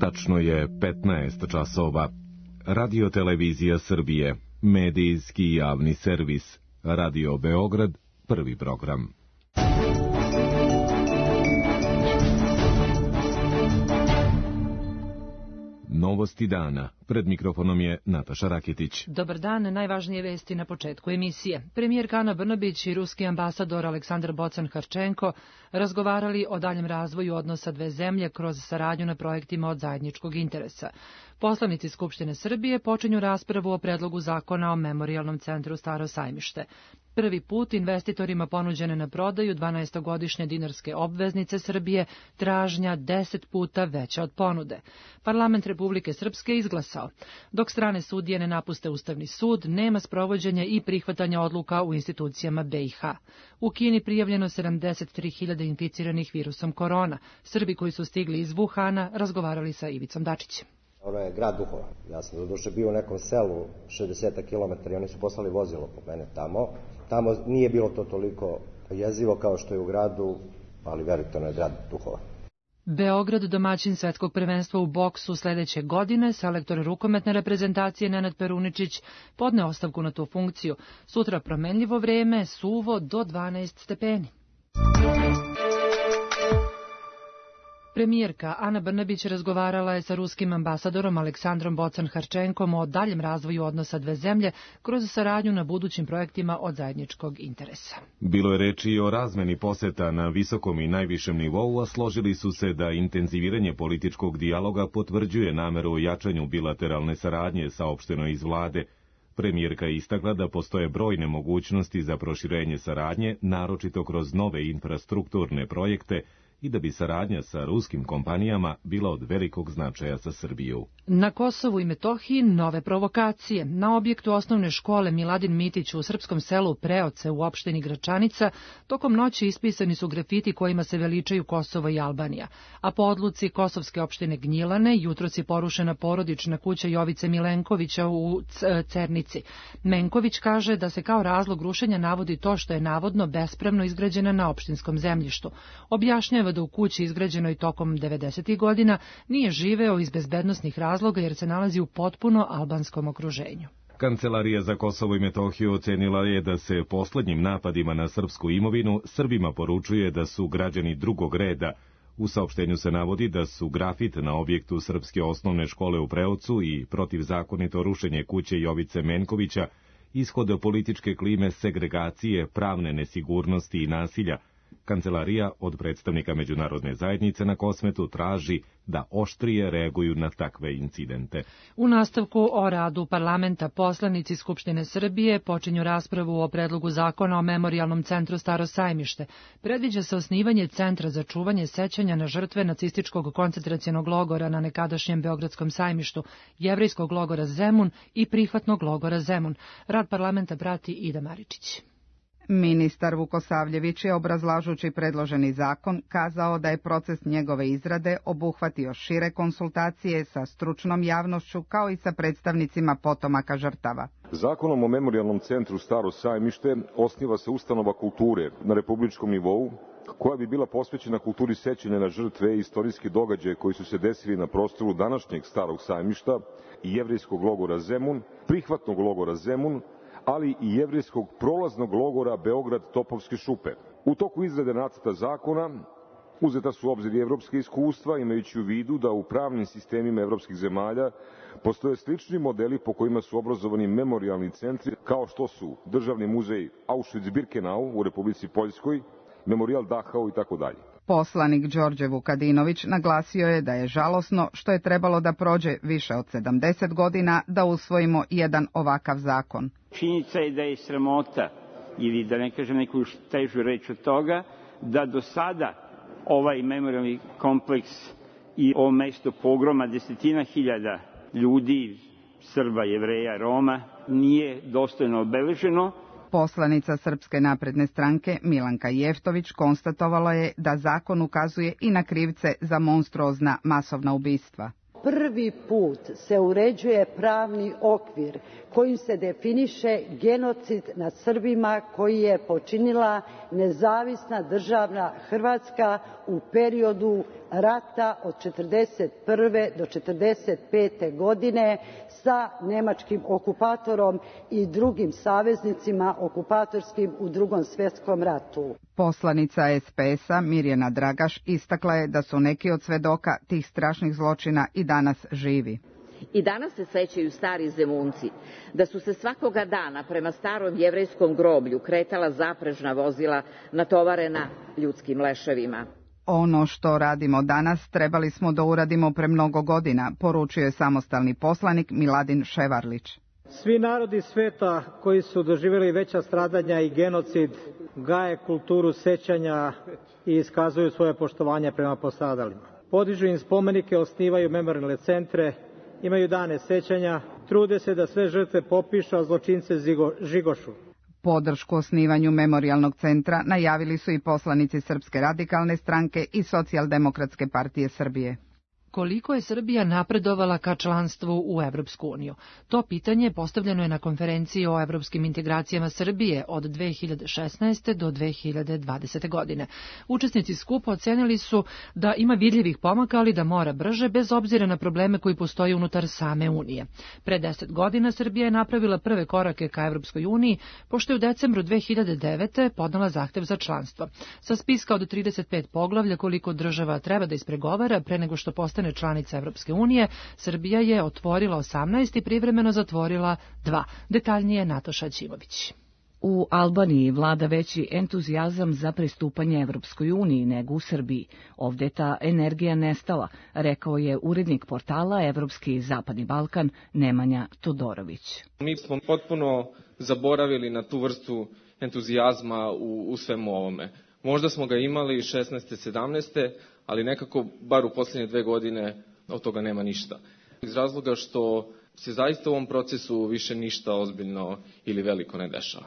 Tačno je 15 časova. Radio-televizija Srbije, medijski javni servis, Radio Beograd, prvi program. Novosti dana. Pred mikrofonom je Nataša Rakitić. Dobar dan, najvažnije vesti na početku emisije. Premijerka Ana Brnabić i ruski ambasador Aleksandar Bocan-Harčenko razgovarali o daljem razvoju odnosa dve zemlje kroz saradnju na projektima od zajedničkog interesa. Poslanici Skupštine Srbije počinju raspravu o predlogu zakona o Memorijalnom centru Staro sajmište. Prvi put investitorima ponuđene na prodaju 12-godišnje dinarske obveznice Srbije, tražnja 10 puta veća od ponude. Parlament Republike Srpske izglasao. Dok strane sudije ne napuste Ustavni sud, nema sprovođenja i prihvatanja odluka u institucijama BiH. U Kini prijavljeno 73.000 inficiranih virusom korona. Srbi koji su stigli iz Wuhana razgovarali sa Ivicom Dačićem. Ono je grad duhova. Ja sam doduše bio u nekom selu 60 km i oni su poslali vozilo po mene tamo. Tamo nije bilo to toliko jezivo kao što je u gradu, ali verujte, ono je grad duhova. Beograd, domaćin svetskog prvenstva u boksu sledeće godine, selektor rukometne reprezentacije Nenad Peruničić podne ostavku na tu funkciju. Sutra promenljivo vreme, suvo do 12 stepeni. Premijerka Ana Brnabić razgovarala je sa ruskim ambasadorom Aleksandrom Bocan-Harčenkom o daljem razvoju odnosa dve zemlje kroz saradnju na budućim projektima od zajedničkog interesa. Bilo je reči i o razmeni poseta na visokom i najvišem nivou, a složili su se da intenziviranje političkog dijaloga potvrđuje nameru o jačanju bilateralne saradnje, saopšteno iz vlade. Premijerka je istakla da postoje brojne mogućnosti za proširenje saradnje, naročito kroz nove infrastrukturne projekte, i da bi saradnja sa ruskim kompanijama bila od velikog značaja za Srbiju. Na Kosovu i Metohiji nove provokacije. Na objektu osnovne škole Miladin Mitić u srpskom selu Preoce u opštini Gračanica tokom noći ispisani su grafiti kojima se veličaju Kosovo i Albanija, a po odluci kosovske opštine Gnjilane jutros je porušena porodična kuća Jovice Milenkovića u Cernici. Menković kaže da se kao razlog rušenja navodi to što je navodno bespravno izgrađena na opštinskom zemljištu. Objašnjava da u kući izgrađenoj tokom 90. godina nije živeo iz bezbednosnih razloga jer se nalazi u potpuno albanskom okruženju. Kancelarija za Kosovo i Metohiju ocenila je da se poslednjim napadima na srpsku imovinu Srbima poručuje da su građani drugog reda. U saopštenju se navodi da su grafit na objektu srpske osnovne škole u Preocu i protivzakonito rušenje kuće Jovice Menkovića ishod političke klime segregacije, pravne nesigurnosti i nasilja. Kancelarija od predstavnika međunarodne zajednice na Kosmetu traži da oštrije reaguju na takve incidente. U nastavku o radu parlamenta poslanici Skupštine Srbije počinju raspravu o predlogu zakona o Memorijalnom centru Staro sajmište. Predviđa se osnivanje centra za čuvanje sećanja na žrtve nacističkog koncentracionog logora na nekadašnjem Beogradskom sajmištu, jevrejskog logora Zemun i prihvatnog logora Zemun. Rad parlamenta prati Ida Maričić. Ministar Vukosavljević je, obrazlažući predloženi zakon, kazao da je proces njegove izrade obuhvatio šire konsultacije sa stručnom javnošću kao i sa predstavnicima potomaka žrtava. Zakonom o Memorijalnom centru Staro sajmište osniva se ustanova kulture na republičkom nivou koja bi bila posvećena kulturi sećanja na žrtve i istorijski događaje koji su se desili na prostoru današnjeg Starog sajmišta i jevrejskog logora Zemun, prihvatnog logora Zemun, ali i jevrejskog prolaznog logora Beograd Topovske šupe. U toku izrade nacrta zakona uzeta su u obzir i evropske iskustva, imajući u vidu da u pravnim sistemima evropskih zemalja postoje slični modeli po kojima su obrazovani memorijalni centri, kao što su Državni muzej Auschwitz-Birkenau u Republici Poljskoj, Memorijal Dachau itd. Poslanik Đorđe Vukadinović naglasio je da je žalosno što je trebalo da prođe više od 70 godina da usvojimo jedan ovakav zakon. Činjenica je da je sramota, ili da ne kažem neku težu reč od toga, da do sada ovaj memorijalni kompleks i ovo mesto pogroma desetina hiljada ljudi, Srba, Jevreja, Roma, nije dostojno obeleženo. Poslanica Srpske napredne stranke Milanka Jeftović konstatovala je da zakon ukazuje i na krivce za monstruozna masovna ubistva. prvi put se uređuje pravni okvir kojim se definiše genocid nad Srbima koji je počinila nezavisna država Hrvatska u periodu rata od 1941. do 1945. godine sa nemačkim okupatorom i drugim saveznicima okupatorskim u Drugom svjetskom ratu. Poslanica SPS-a Mirjana Dragaš istakla je da su neki od svedoka tih strašnih zločina i danas živi. I danas se sećaju stari Zemunci da su se svakoga dana prema starom jevrejskom groblju kretala zaprežna vozila natovarena ljudskim leševima. Ono što radimo danas trebali smo da uradimo pre mnogo godina, poručuje samostalni poslanik Miladin Ševarlić. Svi narodi sveta koji su doživjeli veća stradanja i genocid gaje kulturu sećanja i iskazuju svoje poštovanje prema postradalima. Podižu im spomenike, osnivaju memorijalne centre, imaju dane sećanja, trude se da sve žrtve popišu, a zločince žigošu. Podršku osnivanju memorijalnog centra najavili su i poslanici Srpske radikalne stranke i Socijaldemokratske partije Srbije. Koliko je Srbija napredovala ka članstvu u Evropsku uniju? To pitanje postavljeno je na konferenciji o evropskim integracijama Srbije od 2016. do 2020. godine. Učesnici skupa ocenili su da ima vidljivih pomaka, ali da mora brže, bez obzira na probleme koji postoje unutar same Unije. Pre 10 godina Srbija je napravila prve korake ka Evropskoj uniji, pošto je u decembru 2009. podnala zahtev za članstvo. Sa spiska od 35 poglavlja koliko država treba da ispregovara pre nego što postane članica Evropske unije, Srbija je otvorila 18 i privremeno zatvorila 2. Detaljnije Nataša Ćimović. U Albaniji vlada veći entuzijazam za pristupanje Evropskoj uniji nego u Srbiji. Ovde ta energija nestala, rekao je urednik portala Evropski i Zapadni Balkan Nemanja Todorović. Mi smo potpuno zaboravili na tu vrstu entuzijazma u svemu ovome. Možda smo ga imali 16. 17. ali nekako, bar u posljednje 2 godine, od toga nema ništa. Iz razloga što se zaista u ovom procesu više ništa ozbiljno ili veliko ne dešava.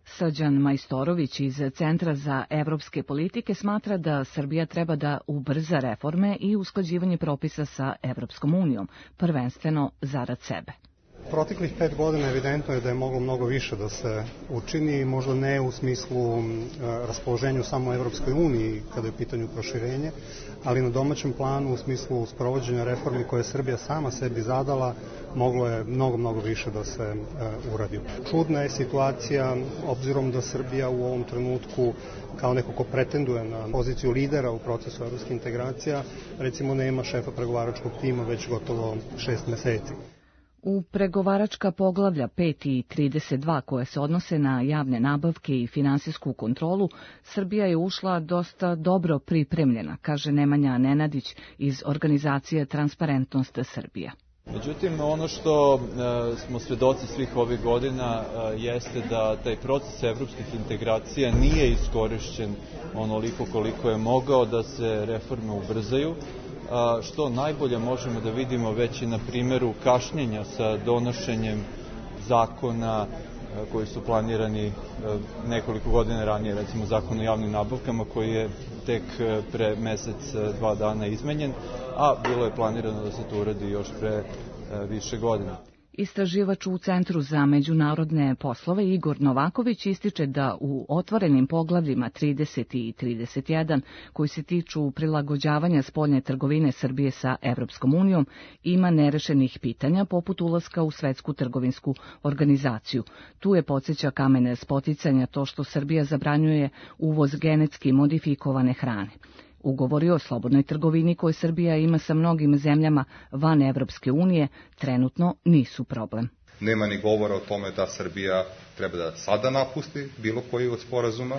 Srđan Majstorović iz Centra za evropske politike smatra da Srbija treba da ubrza reforme i usklađivanje propisa sa Evropskom unijom, prvenstveno zarad sebe. Proteklih 5 godina evidentno je da je moglo mnogo više da se učini, možda ne u smislu raspoloženju samo Evropskoj uniji kada je u pitanju proširenje, ali na domaćem planu u smislu sprovođenja reformi koje je Srbija sama sebi zadala, moglo je mnogo više da se uradi. Čudna je situacija, obzirom da Srbija u ovom trenutku kao neko ko pretenduje na poziciju lidera u procesu evropskih integracija, recimo nema šefa pregovaračkog tima već gotovo 6 meseci. U pregovaračka poglavlja 5 i 32 koje se odnose na javne nabavke i finansijsku kontrolu, Srbija je ušla dosta dobro pripremljena, kaže Nemanja Nenadić iz organizacije Transparentnost Srbija. Međutim, ono što smo svedoci svih ovih godina jeste da taj proces evropskih integracija nije iskorišćen onoliko koliko je mogao da se reforme ubrzaju, što najbolje možemo da vidimo već i na primjeru kašnjenja sa donošenjem zakona koji su planirani nekoliko godina ranije, recimo zakon o javnim nabavkama koji je tek pre mesec, 2 dana izmenjen, a bilo je planirano da se to uradi još pre više godina. Istraživač u Centru za međunarodne poslove Igor Novaković ističe da u otvorenim poglavljima 30 i 31, koji se tiču prilagođavanja spoljne trgovine Srbije sa Evropskom unijom, ima nerešenih pitanja poput ulaska u Svetsku trgovinsku organizaciju. Tu je, podsjeća Kamen Spoticanja, to što Srbija zabranjuje uvoz genetski modifikovane hrane. Ugovori o slobodnoj trgovini koje Srbija ima sa mnogim zemljama van Evropske unije trenutno nisu problem. Nema ni govora o tome da Srbija treba da sada napusti bilo koji od sporazuma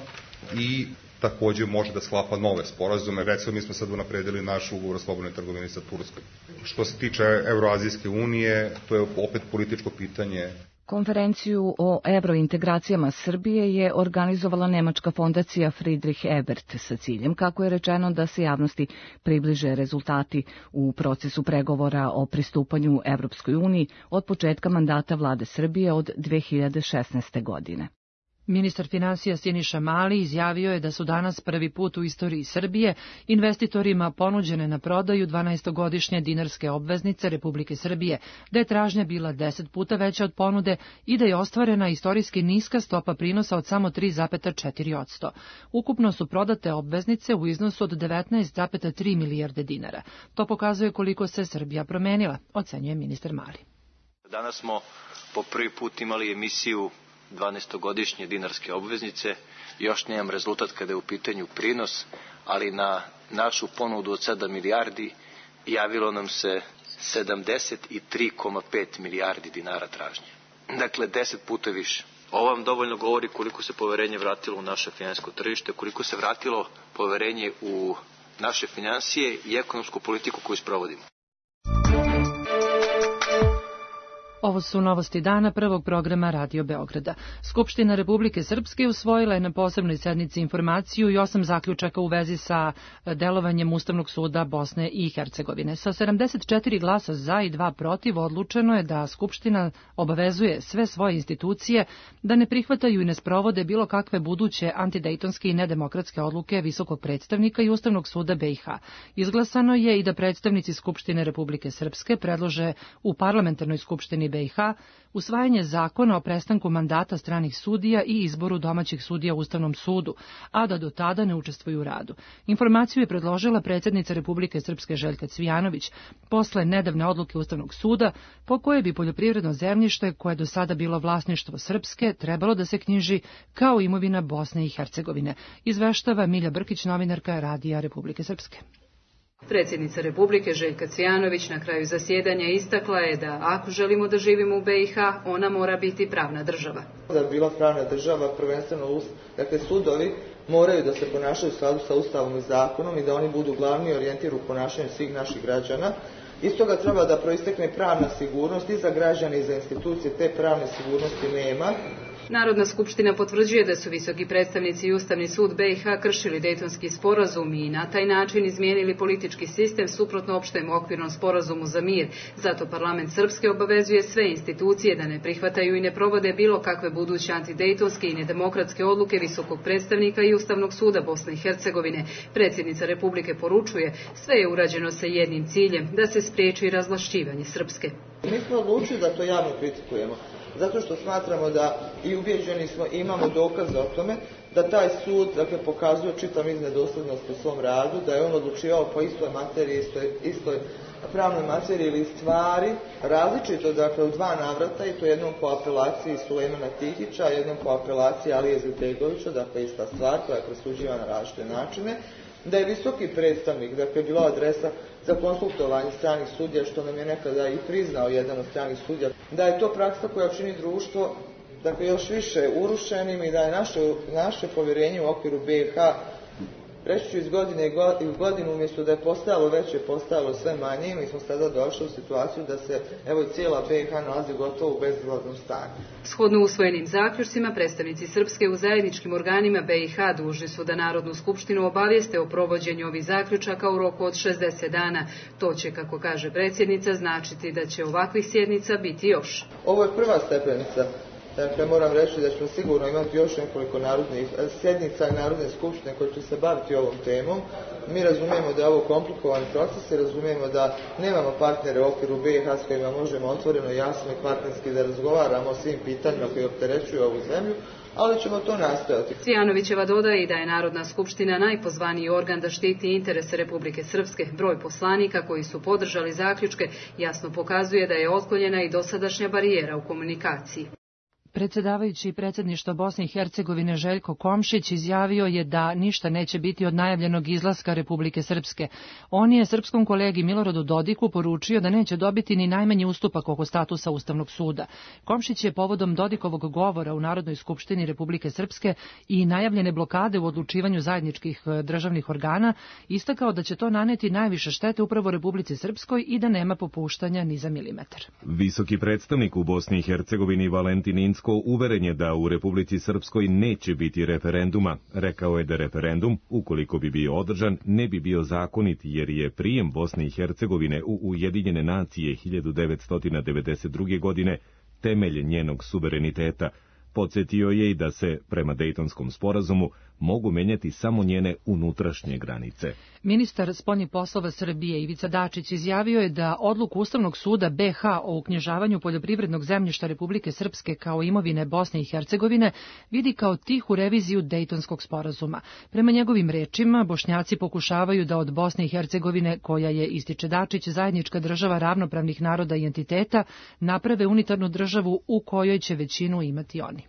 i također može da sklapa nove sporazume. Recimo, mi smo sad unapredili naš ugovor o slobodnoj trgovini sa Turskom. Što se tiče Evroazijske unije, to je opet političko pitanje. Konferenciju o evrointegracijama Srbije je organizovala nemačka fondacija Friedrich Ebert sa ciljem, kako je rečeno, da se javnosti približe rezultati u procesu pregovora o pristupanju Evropskoj uniji od početka mandata vlade Srbije od 2016. godine. Ministar finansija Siniša Mali izjavio je da su danas prvi put u istoriji Srbije investitorima ponuđene na prodaju 12-godišnje dinarske obveznice Republike Srbije, da je tražnja bila 10 puta veća od ponude i da je ostvarena istorijski niska stopa prinosa od samo 3,4%. Ukupno su prodate obveznice u iznosu od 19,3 milijarde dinara. To pokazuje koliko se Srbija promenila, ocenjuje ministar Mali. Danas smo po prvi put imali emisiju 12-godišnje dinarske obveznice. Još nemam rezultat kada je u pitanju prinos, ali na našu ponudu od 7 milijardi javilo nam se 73,5 milijardi dinara tražnje. Dakle, 10 puta više. Ovo vam dovoljno govori koliko se poverenje vratilo u naše finansijsko tržište, koliko se vratilo poverenje u naše finansije i ekonomsku politiku koju sprovodimo. Ovo su novosti dana prvog programa Radio Beograda. Skupština Republike Srpske usvojila je na posebnoj sednici informaciju i 8 zaključaka u vezi sa delovanjem Ustavnog suda Bosne i Hercegovine. Sa 74 glasa za i 2 protiv odlučeno je da Skupština obavezuje sve svoje institucije da ne prihvataju i ne sprovode bilo kakve buduće antidejtonske i nedemokratske odluke Visokog predstavnika i Ustavnog suda BiH. Izglasano je i da predstavnici Skupštine Republike Srpske predlože u parlamentarnoj skupštini BiH usvajanje zakona o prestanku mandata stranih sudija i izboru domaćih sudija u Ustavnom sudu, a da do tada ne učestvuju u radu. Informaciju je predložila predsjednica Republike Srpske Željka Cvijanović posle nedavne odluke Ustavnog suda po kojoj bi poljoprivredno zemljište koje je do sada bilo vlasništvo Srpske trebalo da se knjiži kao imovina Bosne i Hercegovine, izveštava Milja Brkić, novinarka Radija Republike Srpske. Predsjednica Republike Željka Cvijanović na kraju zasjedanja istakla je da ako želimo da živimo u BiH, ona mora biti pravna država. Da bi bila pravna država, prvenstveno sudovi moraju da se ponašaju u skladu sa Ustavom i zakonom i da oni budu glavni orijentir u ponašanju svih naših građana. Iz toga treba da proistekne pravna sigurnost i za građane i za institucije, te pravne sigurnosti nema. Narodna skupština potvrđuje da su visoki predstavnici i Ustavni sud BiH kršili Dejtonski sporazum i na taj način izmijenili politički sistem suprotno opštem okvirnom sporazumu za mir. Zato parlament Srpske obavezuje sve institucije da ne prihvataju i ne provode bilo kakve buduće antidejtonske i nedemokratske odluke visokog predstavnika i Ustavnog suda Bosne i Hercegovine. Predsjednica Republike poručuje, sve je urađeno sa jednim ciljem, da se spriječi razvlašćivanje Srpske. Mi smo odlučili da to javno kritikujemo, zato što smatramo da i ubjeđeni smo, imamo dokaze o tome da taj sud pokazuje čitav niz nedosljednosti u svom radu, da je on odlučivao po istoj materiji, istoj pravnoj materiji ili stvari, različito u 2 navrata, i to jednom po apelaciji Sulejmana Tihića, jednom po apelaciji Alije Ziltegovića, ista stvar koja je presuđivana na različite načine, da je visoki predstavnik, bila adresa za konsultovanje stranih sudija, što nam je nekada i priznao jedan od stranih sudija, da je to praksa koja čini društvo još više urušenim i da je naše povjerenje u okviru BiH, reći ću iz godine u godinu, umjesto da je postajalo veće, postajalo sve manje, i mi smo sada došli u situaciju da se cijela BiH nalazi gotovo u bezizlaznom stanju. Shodno usvojenim zaključcima, predstavnici Srpske u zajedničkim organima BiH dužni su da Narodnu skupštinu obavijeste o provođenju ovih zaključaka u roku od 60 dana. To će, kako kaže predsjednica, značiti da će ovakvih sjednica biti još. Ovo je prva stepenica. Moram reći da ćemo sigurno imati još nekoliko sjednica Narodne skupštine koje će se baviti ovom temom. Mi razumijemo da je ovo komplikovan proces i razumijemo da nemamo partnere u okviru BiH s kojima možemo otvoreno, jasno i partnerski da razgovaramo o svim pitanjima koji opterećuju ovu zemlju, ali ćemo to nastojati. Cvijanovićeva dodaje i da je Narodna skupština najpozvaniji organ da štiti interese Republike Srpske. Broj poslanika koji su podržali zaključke jasno pokazuje da je otklonjena i dosadašnja barijera u komunikaciji. Predsjedavajući predsjedništva Bosne i Hercegovine Željko Komšić izjavio je da ništa neće biti od najavljenog izlaska Republike Srpske. On je srpskom kolegi Miloradu Dodiku poručio da neće dobiti ni najmanji ustupak oko statusa Ustavnog suda. Komšić je povodom Dodikovog govora u Narodnoj skupštini Republike Srpske i najavljene blokade u odlučivanju zajedničkih državnih organa istakao da će to naneti najviše štete upravo Republici Srpskoj i da nema popuštanja ni za milimetar. Visoki predstavnik u Bosni i Hercegovini Valentin Incko uveren je da u Republici Srpskoj neće biti referenduma. Rekao je da referendum, ukoliko bi bio održan, ne bi bio zakonit jer je prijem Bosne i Hercegovine u Ujedinjene nacije 1992. godine temelj njenog suvereniteta, Podsjetio je i da se, prema Dejtonskom sporazumu, mogu menjati samo njene unutrašnje granice. Ministar spoljnih poslova Srbije Ivica Dačić izjavio je da odluku Ustavnog suda BiH o uknjižavanju poljoprivrednog zemljišta Republike Srpske kao imovine Bosne i Hercegovine vidi kao tihu reviziju Dejtonskog sporazuma. Prema njegovim rečima, Bošnjaci pokušavaju da od Bosne i Hercegovine, koja je, ističe Dačić, zajednička država ravnopravnih naroda i entiteta, naprave unitarnu državu u kojoj će većinu imati oni.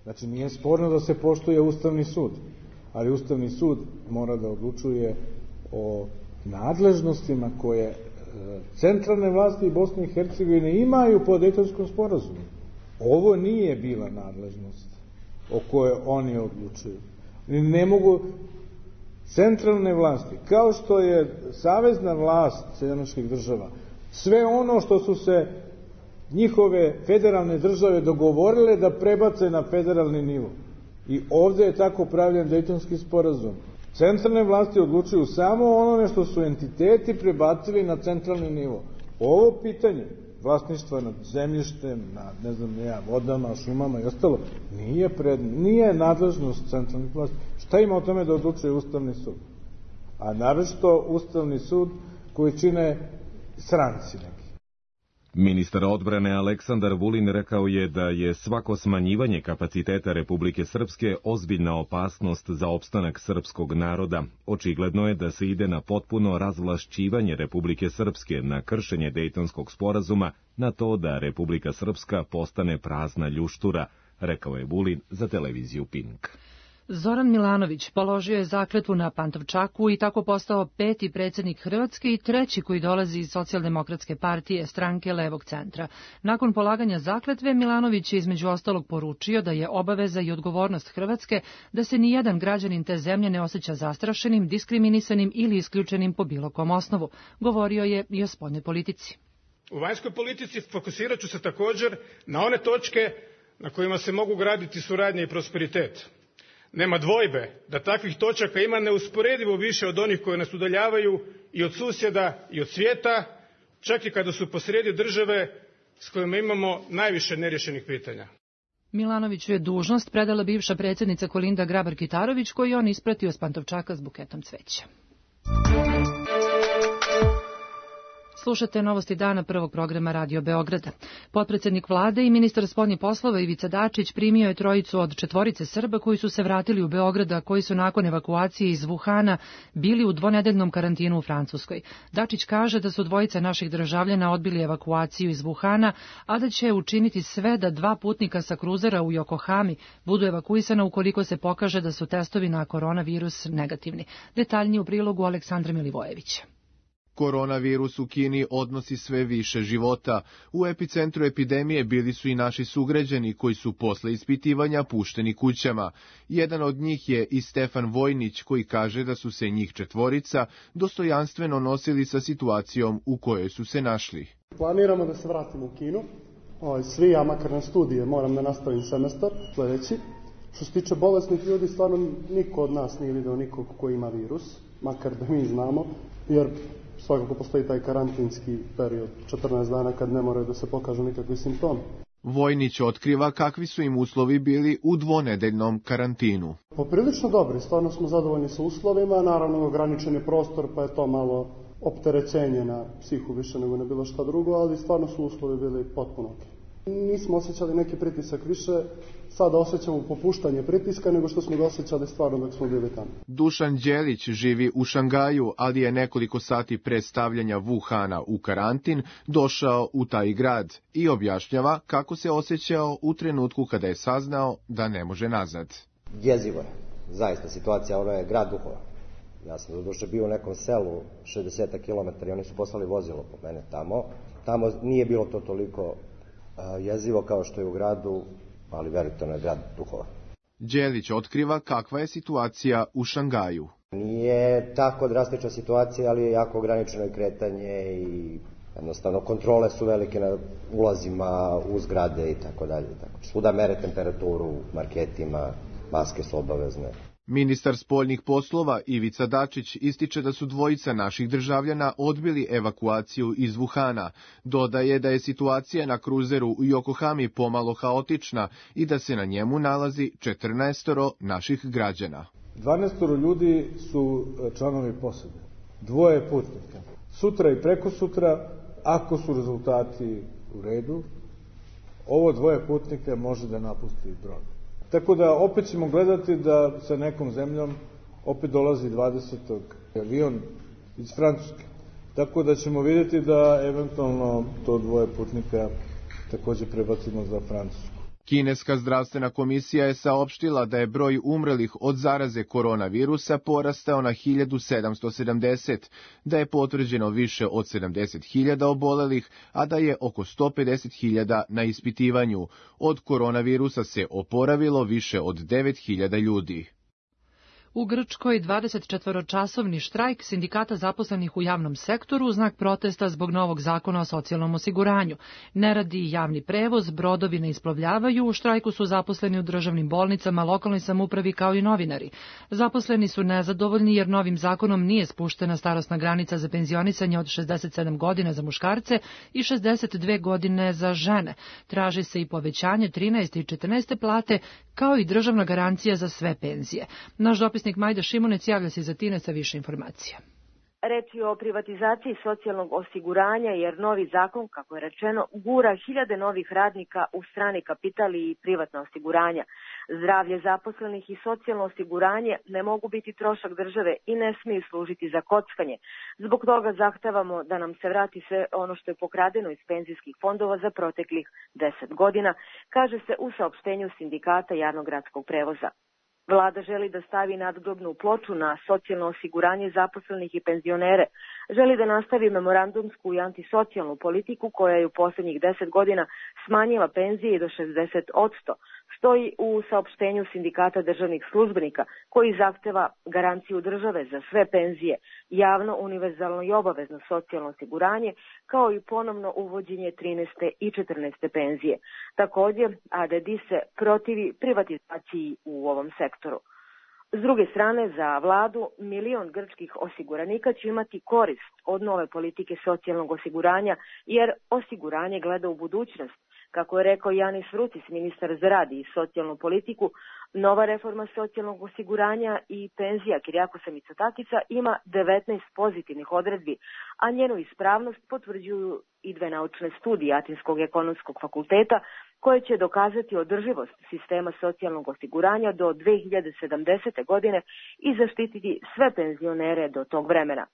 Znači, nije sporno da se poštuje Ustavni sud, ali Ustavni sud mora da odlučuje o nadležnostima koje centralne vlasti Bosne i Hercegovine imaju po Dejtonskom sporazumu. Ovo nije bila nadležnost o kojoj oni odlučuju. Ne mogu centralne vlasti, kao što je savezna vlast Sjedinjenih država, sve ono što su se njihove federalne države dogovorile da prebace na federalni nivo. I ovde je tako pravljen Dejtonski sporazum. Centralne vlasti odlučuju samo onome što su entiteti prebacili na centralni nivo. Ovo pitanje vlasništva nad zemljištem, nad, vodama, šumama i ostalo, nije nadležnost centralnih vlasti. Šta ima o tome da odlučuje Ustavni sud? A naročito Ustavni sud koji čine stranci neki. Ministar odbrane Aleksandar Vulin rekao je da je svako smanjivanje kapaciteta Republike Srpske ozbiljna opasnost za opstanak srpskog naroda. Očigledno je da se ide na potpuno razvlašćivanje Republike Srpske, na kršenje Dejtonskog sporazuma, na to da Republika Srpska postane prazna ljuštura, rekao je Vulin za televiziju Pink. Zoran Milanović položio je zakletvu na Pantovčaku i tako postao 5. predsjednik Hrvatske i 3. koji dolazi iz Socijaldemokratske partije, stranke levog centra. Nakon polaganja zakletve, Milanović je između ostalog poručio da je obaveza i odgovornost Hrvatske da se nijedan građanin te zemlje ne osjeća zastrašenim, diskriminisanim ili isključenim po bilo kom osnovu. Govorio je i o spoljnoj politici. U vanjskoj politici fokusirat ću se također na one točke na kojima se mogu graditi suradnja i prosperitet. Nema dvojbe da takvih točaka ima neusporedivo više od onih koje nas udaljavaju i od susjeda i od svijeta, čak i kada su posrijedi države s kojima imamo najviše neriješenih pitanja. Milanoviću je dužnost predala bivša predsjednica Kolinda Grabar-Kitarović, koju je on ispratio s Pantovčaka s buketom cveća. Slušate novosti dana prvog programa Radio Beograda. Potpredsednik vlade i ministar spoljnih poslova Ivica Dačić primio je trojicu od 4 Srba koji su se vratili u Beograda, koji su nakon evakuacije iz Wuhana bili u 2-nedeljnom karantinu u Francuskoj. Dačić kaže da su 2 naših državljana odbili evakuaciju iz Wuhana, a da će učiniti sve da 2 putnika sa kruzera u Yokohami budu evakuisana ukoliko se pokaže da su testovi na koronavirus negativni. Detaljnije u prilogu Aleksandra Milivojevića. Koronavirus u Kini odnosi sve više života. U epicentru epidemije bili su i naši sugrađani koji su posle ispitivanja pušteni kućama. Jedan od njih je i Stefan Vojnić, koji kaže da su se njih 4 dostojanstveno nosili sa situacijom u kojoj su se našli. Planiramo da se vratimo u Kinu. Svi, ja makar na studije, moram da nastavim semestar sledeći. Što se tiče bolesnih ljudi, stvarno niko od nas nije video nikog ko ima virus, makar da mi znamo, jer svakako postoji taj karantinski period, 14 dana kad ne moraju da se pokažu nikakvi simptomi. Vojnić otkriva kakvi su im uslovi bili u 2-nedeljnom karantinu. Poprilično dobri, stvarno smo zadovoljni sa uslovima, naravno ograničen je prostor pa je to malo opterećenje na psihu više nego na bilo šta drugo, ali stvarno su uslovi bili potpuno ok. Nismo osjećali neki pritisak više, sada osjećamo popuštanje pritiska nego što smo ga osjećali stvarno dok smo bili tamo. Dušan Đelić živi u Šangaju, ali je nekoliko sati pre stavljanja Wuhana u karantin došao u taj grad i objašnjava kako se osjećao u trenutku kada je saznao da ne može nazad. Jezivo je, zaista situacija, ono je grad duhova. Ja sam doduše bio u nekom selu 60 km i oni su poslali vozilo po mene tamo. Tamo nije bilo to toliko jezivo kao što je u gradu, ali verujte, ono je grad duhova. Đelić otkriva kakva je situacija u Šangaju. Nije tako drastična situacija, ali je jako ograničeno i kretanje i jednostavno kontrole su velike na ulazima u zgrade i tako dalje. Svuda mere temperaturu, marketima, maske su obavezne. Ministar spoljnih poslova Ivica Dačić ističe da su dvojica naših državljana odbili evakuaciju iz Wuhana. Dodaje da je situacija na kruzeru u Yokohami pomalo haotična i da se na njemu nalazi 14 naših građana. 12 ljudi su članovi posade, 2 putnika. Sutra i prekosutra, ako su rezultati u redu, ovo 2 putnika može da napusti brod. Tako da opet ćemo gledati da sa nekom zemljom opet dolazi 20. avion iz Francuske. Tako da ćemo vidjeti da eventualno to 2 putnika takođe prebacimo za Francusku. Kineska zdravstvena komisija je saopštila da je broj umrlih od zaraze koronavirusa porastao na 1770, da je potvrđeno više od 70.000 obolelih, a da je oko 150.000 na ispitivanju. Od koronavirusa se oporavilo više od 9.000 ljudi. U Grčkoj 24-časovni štrajk sindikata zaposlenih u javnom sektoru u znak protesta zbog novog zakona o socijalnom osiguranju. Ne radi javni prevoz, brodovi ne isplovljavaju, u štrajku su zaposleni u državnim bolnicama, lokalnoj samoupravi kao i novinari. Zaposleni su nezadovoljni jer novim zakonom nije spuštena starosna granica za penzionisanje od 67 godina za muškarce i 62 godine za žene. Traži se i povećanje 13. i 14. plate kao i državna garancija za sve penzije. Naš dopisnik Majda Šimunec javlja se iz Atine sa više informacija. Reč je o privatizaciji socijalnog osiguranja jer novi zakon, kako je rečeno, gura hiljade novih radnika u strani kapital i privatna osiguranja. Zdravlje zaposlenih i socijalno osiguranje ne mogu biti trošak države i ne smiju služiti za kockanje. Zbog toga zahtevamo da nam se vrati sve ono što je pokradeno iz penzijskih fondova za proteklih 10 godina, kaže se u saopštenju sindikata javnog gradskog prevoza. Vlada želi da stavi nadgrobnu ploču na socijalno osiguranje zaposlenih i penzionere. Želi da nastavi memorandumsku i antisocijalnu politiku koja je u posljednjih 10 godina smanjila penzije i do 60%. Stoji u saopštenju sindikata državnih službenika koji zahteva garanciju države za sve penzije, javno, univerzalno i obavezno socijalno osiguranje, kao i ponovno uvođenje 13. i 14. penzije. Također, ADD se protivi privatizaciji u ovom sektoru. S druge strane, za vladu, 1 milion grčkih osiguranika će imati korist od nove politike socijalnog osiguranja, jer osiguranje gleda u budućnost. Kako je rekao Janis Vrutis, ministar za rad i socijalnu politiku, nova reforma socijalnog osiguranja i penzija Kirijakosa Mitsotakića ima 19 pozitivnih odredbi, a njenu ispravnost potvrđuju i 2 naučne studije Atinskog ekonomskog fakulteta koje će dokazati održivost sistema socijalnog osiguranja do 2070. godine i zaštititi sve penzionere do tog vremena.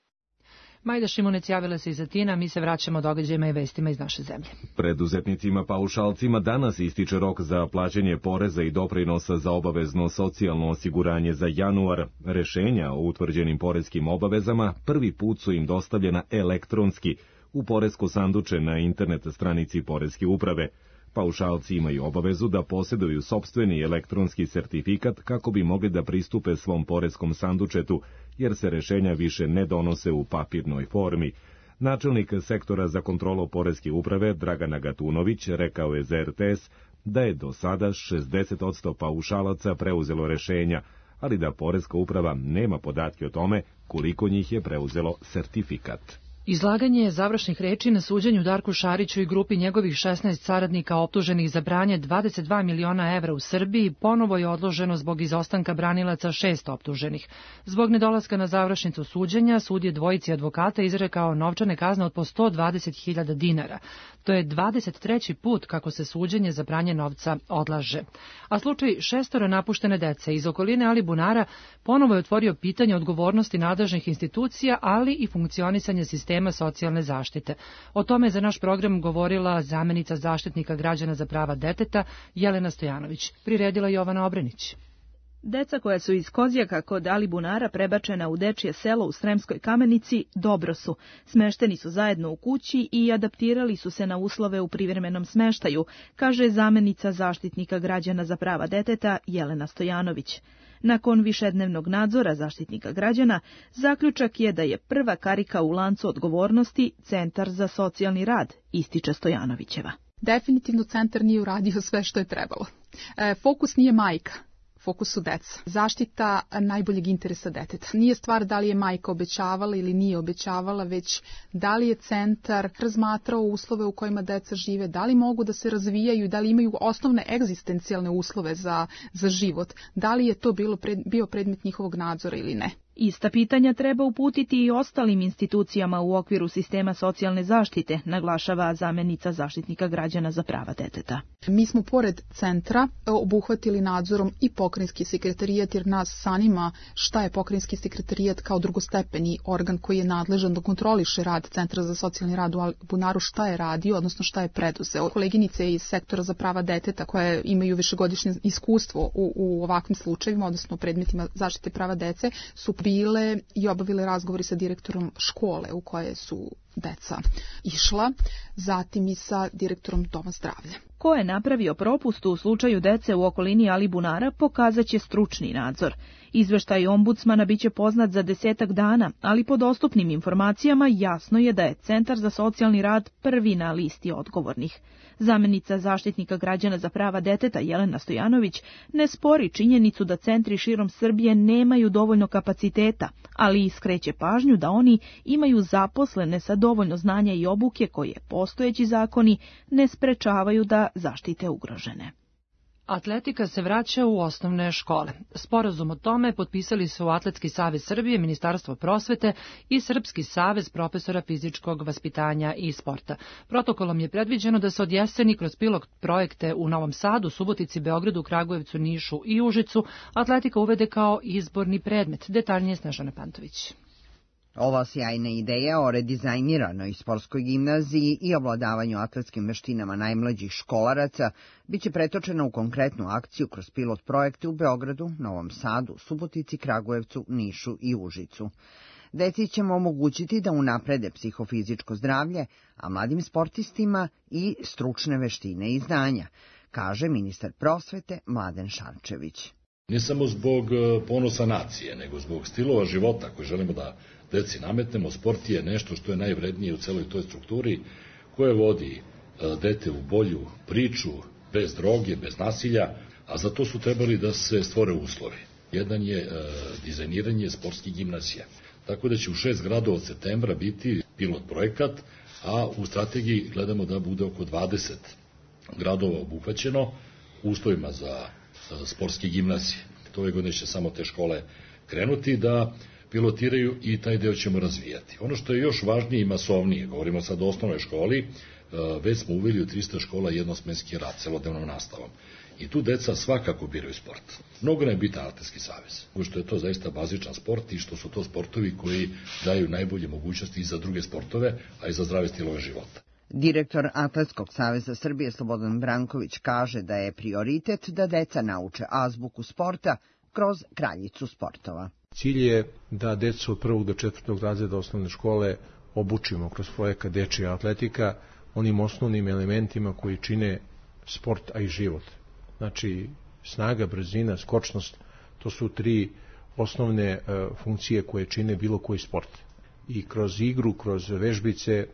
Majda Šimunec javila se iz Atina, mi se vraćamo događajima i vestima iz naše zemlje. Preduzetnicima paušalcima danas ističe rok za plaćanje poreza i doprinosa za obavezno socijalno osiguranje za januar. Rešenja o utvrđenim poreskim obavezama prvi put su im dostavljena elektronski u poresko sanduče na internet stranici Poreske uprave. Paušalci imaju obavezu da posjeduju sopstveni elektronski sertifikat kako bi mogli da pristupe svom poreskom sandučetu, jer se rešenja više ne donose u papirnoj formi. Načelnik sektora za kontrolu Poreske uprave Dragana Gatunović rekao je za RTS da je do sada 60% paušalaca preuzelo rešenja, ali da Poreska uprava nema podatke o tome koliko njih je preuzelo sertifikat. Izlaganje završnih reči na suđenju Darku Šariću i grupi njegovih 16 saradnika optuženih za branje 22 miliona evra u Srbiji ponovo je odloženo zbog izostanka branilaca 6 optuženih. Zbog nedolaska na završnicu suđenja, sud je dvojici advokata izrekao novčane kazne od po 120.000 dinara. To je 23. put kako se suđenje za pranje novca odlaže. A slučaj 6 napuštene dece iz okoline Alibunara ponovo je otvorio pitanje odgovornosti nadležnih institucija, ali i funkcionisanja sistema socijalne zaštite. O tome za naš program govorila zamenica zaštitnika građana za prava deteta Jelena Stojanović. Priredila Jovana Obrenić. Deca koja su iz Kozjaka kod Alibunara prebačena u dečje selo u Sremskoj Kamenici dobro su. Smešteni su zajedno u kući i adaptirali su se na uslove u privremenom smeštaju, kaže zamenica zaštitnika građana za prava deteta Jelena Stojanović. Nakon višednevnog nadzora zaštitnika građana, zaključak je da je prva karika u lancu odgovornosti Centar za socijalni rad, ističe Stojanovićeva. Definitivno centar nije uradio sve što je trebalo. Fokus nije majka. fokusu deca. Zaštita najboljeg interesa deteta. Nije stvar da li je majka obećavala ili nije obećavala, već da li je centar razmatrao uslove u kojima deca žive, da li mogu da se razvijaju i da li imaju osnovne egzistencijalne uslove za život, da li je to bio predmet njihovog nadzora ili ne. Ista pitanja treba uputiti i ostalim institucijama u okviru sistema socijalne zaštite, naglašava zamjenica Zaštitnika građana za prava deteta. Mi smo pored centra obuhvatili nadzorom i pokrajinski sekretarijat, jer nas zanima šta je pokrajinski sekretarijat kao drugostepeni organ koji je nadležan da kontroliše rad Centra za socijalni rad u Alibunaru, šta je radio, odnosno šta je preduzeo. Koleginice iz sektora za prava deteta koje imaju višegodišnje iskustvo u ovakvim slučajevima, odnosno predmetima zaštite prava dece, su bile i obavile razgovori sa direktorom škole u koje su deca išla, zatim i sa direktorom Doma zdravlja. Ko je napravio propust u slučaju dece u okolini Alibunara, pokazat će stručni nadzor. Izveštaj ombudsmana biće poznat za 10 dana, ali po dostupnim informacijama jasno je da je Centar za socijalni rad prvi na listi odgovornih. Zamjenica Zaštitnika građana za prava deteta Jelena Stojanović ne spori činjenicu da centri širom Srbije nemaju dovoljno kapaciteta, ali iskreće pažnju da oni imaju zaposlene sa dovoljno znanja i obuke koje postojeći zakoni ne sprečavaju da zaštite ugrožene. Atletika se vraća u osnovne škole. Sporazum o tome potpisali su Atletski savez Srbije, Ministarstvo prosvete i Srpski savez profesora fizičkog vaspitanja i sporta. Protokolom je predviđeno da se od jeseni kroz pilot projekte u Novom Sadu, Subotici, Beogradu, Kragujevcu, Nišu i Užicu atletika uvede kao izborni predmet. Detaljnije Snežana Pantović. Ova sjajna ideja o redizajniranoj sportskoj gimnaziji i ovladavanju atletskim veštinama najmlađih školaraca biće pretočena u konkretnu akciju kroz pilot projekte u Beogradu, Novom Sadu, Subotici, Kragujevcu, Nišu i Užicu. Deci ćemo omogućiti da unaprede psihofizičko zdravlje, a mladim sportistima i stručne veštine i znanja, kaže ministar prosvete Mladen Šarčević. Ne samo zbog ponosa nacije, nego zbog stilova života koje želimo da deci nametnemo. Sport je nešto što je najvrednije u celoj toj strukturi koje vodi dete u bolju priču, bez droge, bez nasilja, a za to su trebali da se stvore uslovi. Jedan je dizajniranje sportskih gimnazija. Tako da će u 6 gradova od septembra biti pilot projekat, a u strategiji gledamo da bude oko 20 gradova obuhvaćeno uslovima za sportske gimnazije. Ove godine će samo te škole krenuti da pilotiraju i taj deo ćemo razvijati. Ono što je još važnije i masovnije, govorimo sad o osnovnoj školi, već smo uveli u 300 škola jednosmenski rad, celodnevnom nastavom. I tu deca svakako biraju sport. Mnogo nam je bitan Atletski savez, što je to zaista bazičan sport i što su to sportovi koji daju najbolje mogućnosti i za druge sportove, a i za zdrave stilove života. Direktor Atletskog saveza Srbije Slobodan Branković kaže da je prioritet da deca nauče azbuku sporta kroz kraljicu sportova. Cilj je da decu od 1. do 4. razreda osnovne škole obučimo kroz projekat Dečija atletika onim osnovnim elementima koji čine sport, a i život. Znači, snaga, brzina, skočnost, to su 3 osnovne funkcije koje čine bilo koji sport. I kroz igru, kroz vežbice,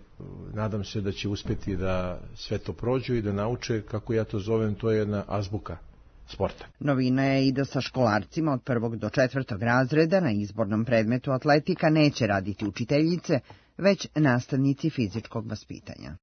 nadam se da će uspeti da sve to prođu i da nauče, kako ja to zovem, to je jedna azbuka sporta. Novina je i da sa školarcima od 1. do 4. razreda na izbornom predmetu atletika neće raditi učiteljice, već nastavnici fizičkog vaspitanja.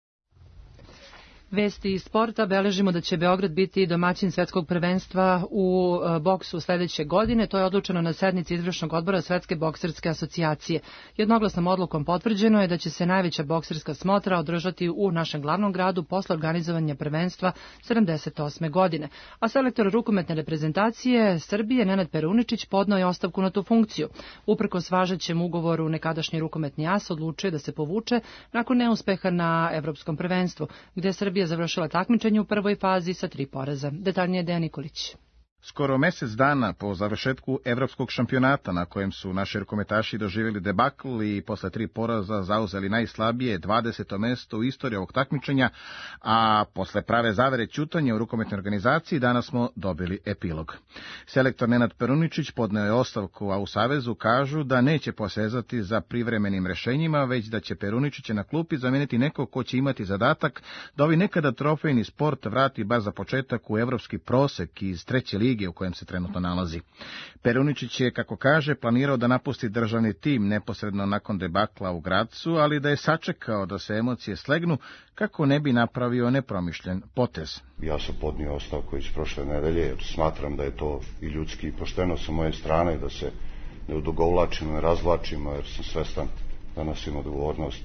Vesti iz sporta, beležimo da će Beograd biti domaćin svetskog prvenstva u boksu sledeće godine. To je odlučeno na sednici izvršnog odbora Svetske bokserske asocijacije. Jednoglasnom odlukom potvrđeno je da će se najveća bokserska smotra održati u našem glavnom gradu posle organizovanja prvenstva 78. godine. A selektor rukometne reprezentacije Srbije Nenad Peruničić podneo je ostavku na tu funkciju. Uprkos važećem ugovoru nekadašnji rukometni as odlučio da se povuče nakon neuspeha na evropskom prvenstvu, gde Srbija završila takmičenje u prvoj fazi sa 3 poraza. Detaljnije Dejan Nikolić. Skoro mesec dana po završetku evropskog šampionata na kojem su naši rukometaši doživjeli debakl i posle 3 poraza zauzeli najslabije 20. mesto u istoriji ovog takmičenja, a posle prave zavere ćutanja u rukometnoj organizaciji danas smo dobili epilog. Selektor Nenad Peruničić podneo je ostavku, a u Savezu kažu da neće posezati za privremenim rešenjima, već da će Peruničića na klupi zameniti neko ko će imati zadatak da ovi nekada trofejni sport vrati bar za početak u evropski prosek iz 3. lige lige u kojem se trenutno nalazi. Peruničić je, kako kaže, planirao da napusti državni tim neposredno nakon debakla u Gracu, ali da je sačekao da se emocije slegnu kako ne bi napravio nepromišljen potez. Ja sam podnio ostavku iz prošle nedelje, jer smatram da je to i ljudski i pošteno sa moje strane, da se ne odugovlačimo, ne razvlačimo, jer sam svestan da nosim odgovornost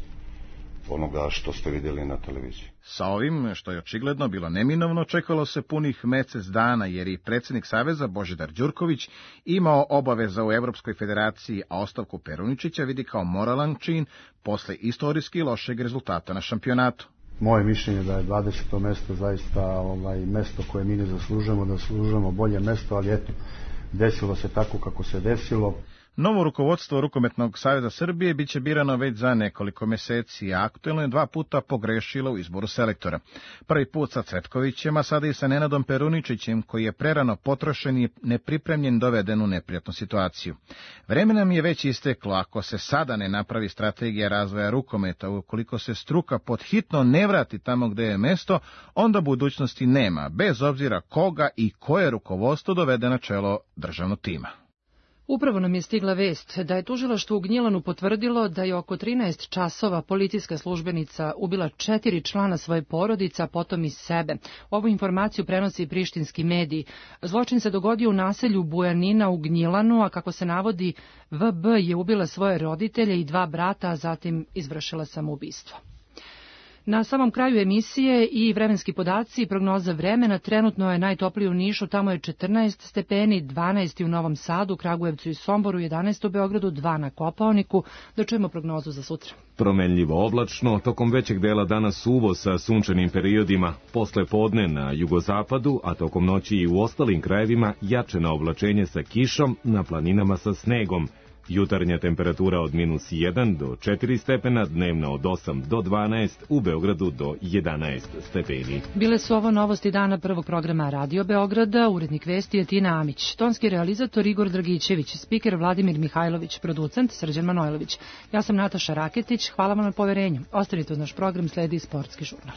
onoga što ste vidjeli na televiziji. Sa ovim, što je očigledno bilo neminovno, čekalo se punih mesec dana, jer i predsjednik Saveza Božidar Đurković imao obaveza u Evropskoj federaciji, a ostavku Peruničića vidi kao moralan čin posle istorijski lošeg rezultata na šampionatu. Moje mišljenje da je 20. mesto zaista mesto koje mi ne zaslužujemo, da zaslužujemo bolje mesto, ali eto, desilo se tako kako se desilo. Novo rukovodstvo Rukometnog saveza Srbije biće birano već za nekoliko meseci, a aktuelno je 2 puta pogrešilo u izboru selektora. Prvi put sa Cvetkovićem, a sada i sa Nenadom Peruničićem, koji je prerano potrošen i nepripremljen doveden u neprijatnu situaciju. Vreme nam je već isteklo, ako se sada ne napravi strategija razvoja rukometa, ukoliko se struka pod hitno ne vrati tamo gde je mesto, onda budućnosti nema, bez obzira koga i koje rukovodstvo dovede na čelo državnog tima. Upravo nam je stigla vest da je tužilaštvo u Gnjilanu potvrdilo da je oko 13 časova policijska službenica ubila 4 člana svoje porodice, a potom i sebe. Ovu informaciju prenosi i prištinski mediji. Zločin se dogodio u naselju Bujanina u Gnjilanu, a kako se navodi, VB je ubila svoje roditelje i 2 brata, a zatim izvršila samoubistvo. Na samom kraju emisije i vremenski podaci i prognoza vremena. Trenutno je najtoplije u Nišu, tamo je 14 stepeni, 12 u Novom Sadu, Kragujevcu i Somboru, 11 u Beogradu, 2 na Kopaoniku. Da čujemo prognozu za sutra. Promenljivo oblačno, tokom većeg dela dana suvo sa sunčanim periodima, posle podne na jugozapadu, a tokom noći i u ostalim krajevima jače na oblačenje sa kišom, na planinama sa snegom. Jutarnja temperatura od -1 do 4 stepena, dnevna od 8 do 12, u Beogradu do 11 stepeni. Bile su ovo novosti dana prvog programa Radio Beograda, urednik vesti je Tina Amić, tonski realizator Igor Dragićević, spiker Vladimir Mihajlović, producent Srđan Manojlović. Ja sam Nataša Raketić, hvala vam na poverenju. Ostanite uz naš program, sledi Sportski žurnal.